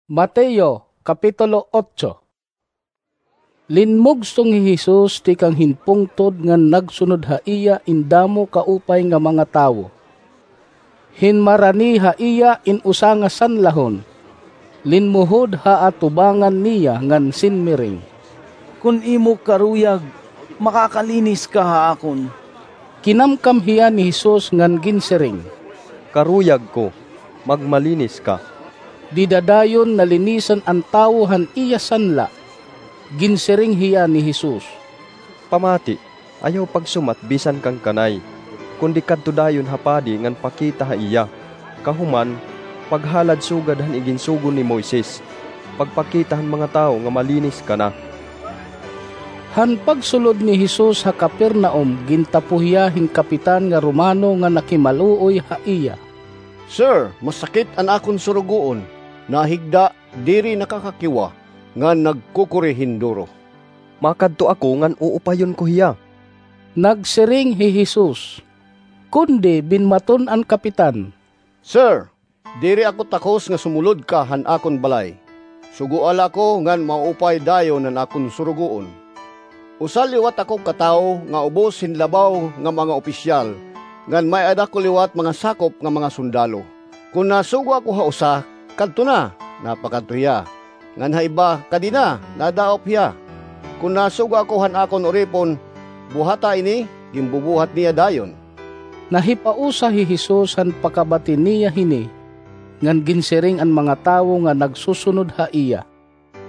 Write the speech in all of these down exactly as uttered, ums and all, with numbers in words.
Mateo, Kapitulo otso. Linmugso hi Jesus tikang hin pungtod ngan nagsunod ha iya in damo kaupay nga mga tawo. Hinmarani ha iya in usa nga sanlahon, linmuhod ha atubangan niya ngan sinmiring, "Kon imo karuyag, makakalinis ka ha akon." Kinamkam hiya ni Jesus ngan ginsiring, "Karuyag ko, magmalinis ka." Dida dayon nalinisan an tawo han iya sanla. Ginsiring hiya ni Jesus, "Pamati, ayaw pagsumat bisan kan kanay, kundi kadto dayon ha padi ngan pakita ha iya. Kahuman, paghalad sugad han iginsugo ni Moises, pagpakita han mga tawo nga malinis ka na." Han pagsulod ni Jesus ha Capernaum, gintapo hiya hin kapitan nga Romano nga nakimaluoy ha iya. "Sir, masakit an akon surugoon. Nahigda, diri nakakakiwa, ngan nagkukuri hin duro." "Makadto ako ngan uupayon ko hiya." Nagsiring hi Jesus. Kundi binmaton an kapitan, "Sir, diri ako takos nga sumulod ka han akon balay. Sugoa la ako ngan maupay dayon an akon surugoon. Usa liwat ako ka tawo nga ubos hin labaw nga mga opisyal, ngan may-ada ko liwat mga sakop nga mga sundalo. Kon nasugo ako ha usa, kadto na, napakadto hiya. Ngan ha iba, kadi na, nadaop hiya. Kon nasugo ako han akon uripon, buhata ini, ginbubuhat niya dayon." Nahipausa hi Jesus han pakabati niya hini, ngan ginsiring an mga tawo nga nagsusunod ha iya,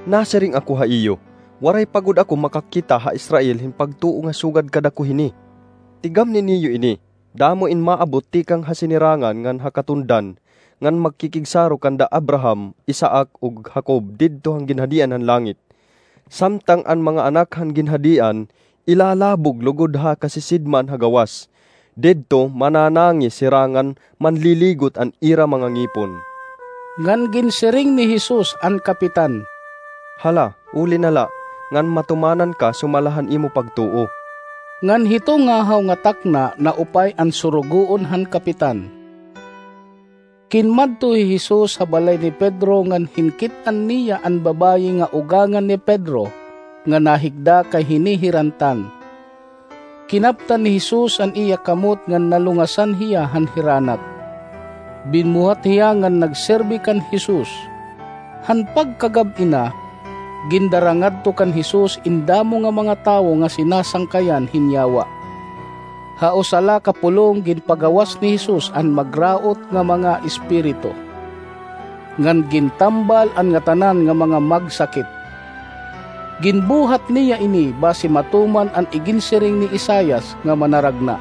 "Nasiring ako ha iyo, waray pa gud ako makakita ha Israel hin pagtuo nga sugad kadako hini. Tigamni niyo ini, damo in maabot tikang ha sinirangan ngan ha katundan, ngan magkikigsaro kanda Abraham, Isaac, ug Jacob didto han ginhadian han langit. Samtang an mga anak han ginhadian ilalabog lugod ha kasisidman ha gawas, didto mananangis hira ngan manliligot an ira mga ngipon." Ngan ginsiring ni Jesus an kapitan, "Hala, uli na la, ngan matumanan ka sumala han imo pagtuo." Ngan hito ngahaw nga takna naupay an surugoon han kapitan. Kinmadto hi Jesus ha balay ni Pedro ngan hinkit-an niya an babaye nga ugangan ni Pedro nga nahigda kay hinihirantan. Kinaptan ni Jesus an iya kamot ngan nalungasan hiya han hiranat. Binmuhat hiya ngan nagserbi kan Jesus. Han pagkagab-i na, gindara ngadto kan Jesus in damo nga mga tawo nga sinasangkayan hin yawa. Ha usa la ka pulong ginpagawas ni Jesus an magraot nga mga espiritu, ngan gintambal an ngatanan nga mga magsakit. Ginbuhat niya ini basi matuman an iginsiring ni Isaias nga manaragna,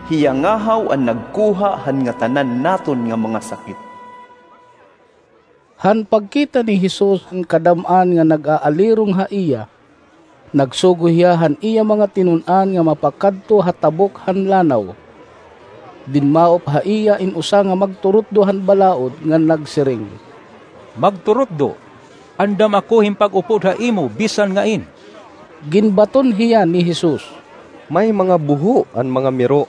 "Hiya ngahaw an nagkuha han ngatanan naton nga mga sakit." Han pagkita ni Jesus han kadam-an nga nag-aalirong ha iya, nagsugo hiya han iya mga tinun-an nga mapakadto ha tabok han lanaw. Dinmaop ha iya in usa nga magturutdo han balaod ngan nagsiring, "Magturutdo, andam ako hin pag-upod ha imo bisan ngain." Ginbaton hiya ni Jesus, "May mga buho an mga miro,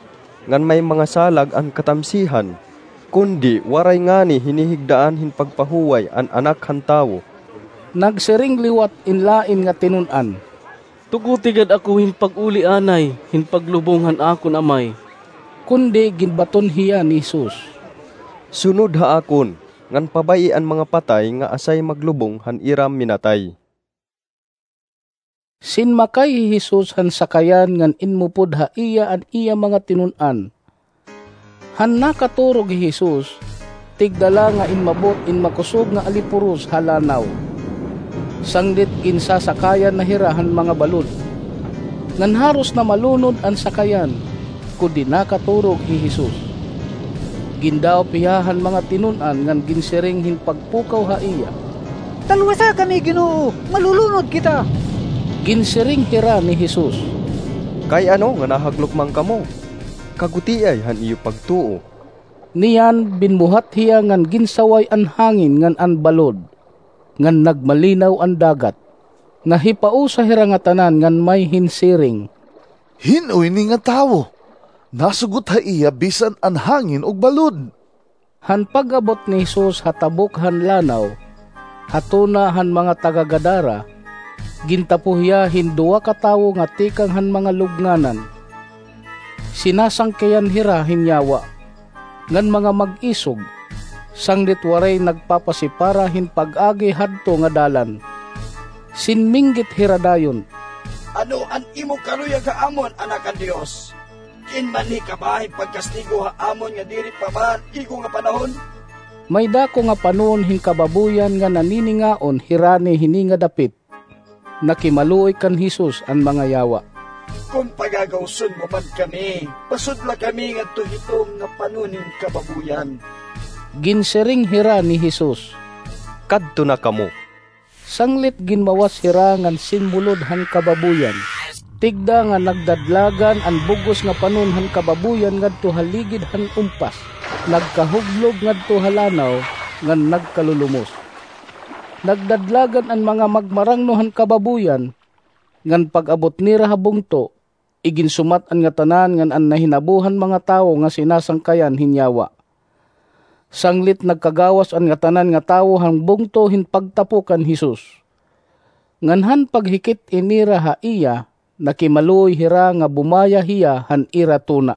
ngan may mga salag an katamsihan, kundi waray ngani hinihigdaan hin pagpahuway an Anak han Tawo." Nagsiring liwat in lain nga tinun-an, "Tugoti gad ako hin pag-uli anay hin paglubong han akon Amay." Kundi ginbaton hiya ni Jesus, "Sunod ha akon, ngan pabay-i an mga patay nga asay maglubong han ira minatay." Sinmakay hi Jesus han sakayan ngan inmupod ha iya an iya mga tinun-an. Han nakaturog hi Jesus, tigda la nga inmabot in makusog nga alipuros ha lanaw. Sanglit ginsasakayan na hira han mga balod. Ngan haros na malunod an sakayan, kundi nakaturog hi Jesus. Gindaop hiya han mga tinun-an ngan ginsiring hin pagpukaw ha iya, "Talwasa kami, Ginoo! Malulunod kita!" Ginsiring hira ni Jesus, "Kay ano nga nahaglok man kamo? Kagutiay han iyo pagtuo." Niyan binmuhat hiya ngan ginsaway an hangin ngan an balod, ngan nagmalinaw an dagat. Nahipausa hira ngatanan ngan may hinsiring, "Hin-o ini nga tawo? Nasugot ha iya bisan an hangin ug balod." Han pag-abot ni Jesus ha tabok han lanaw, ha tuna han mga taga-Gadara, gintapo hiya hin duwa ka tawo nga tikang han mga lubnganan. Sinasangkayan hira hin yawa ngan mga mag-isog, sanglit waray nagpapasipara hin pag-agi hadto nga dalan. Sinminggit hira dayon, "Ano an imo karuyag ha amon, Anak han Dios? Diin man hika ba hin pagkastigo ha amon nga diri pa man igo nga panahon?" May dako nga panon hin kababuyan nga naniningaon hirani hini nga dapit. Nakimaluoy kan Jesus an mga yawa, "Kon pagagawson mo man kami, pasudla kami ngadto hiton nga panon hin kababuyan." Ginsiring hira ni Jesus, "Kadto na kamo." Sanglit ginmawas hira ngan sinmulod han kababuyan. Tigda nga nagdadlagan an bug-os nga panon han kababuyan ngadto ha ligid han umpas, nagkahuglog ngadto ha lanaw, ngan nagkalulumos. Nagdadlagan an mga magmarangno han kababuyan, ngan pag-abot nira ha bungto, iginsumat an ngatanan ngan an nahinabo han mga tawo nga sinasangkayan hin yawa. Sanglit nagkagawas an ngatanan nga tawo han bungto hin pagtapo kan Jesus. Ngan han paghikit-i nira ha iya, nakimaluoy hira nga bumaya hiya han ira tuna.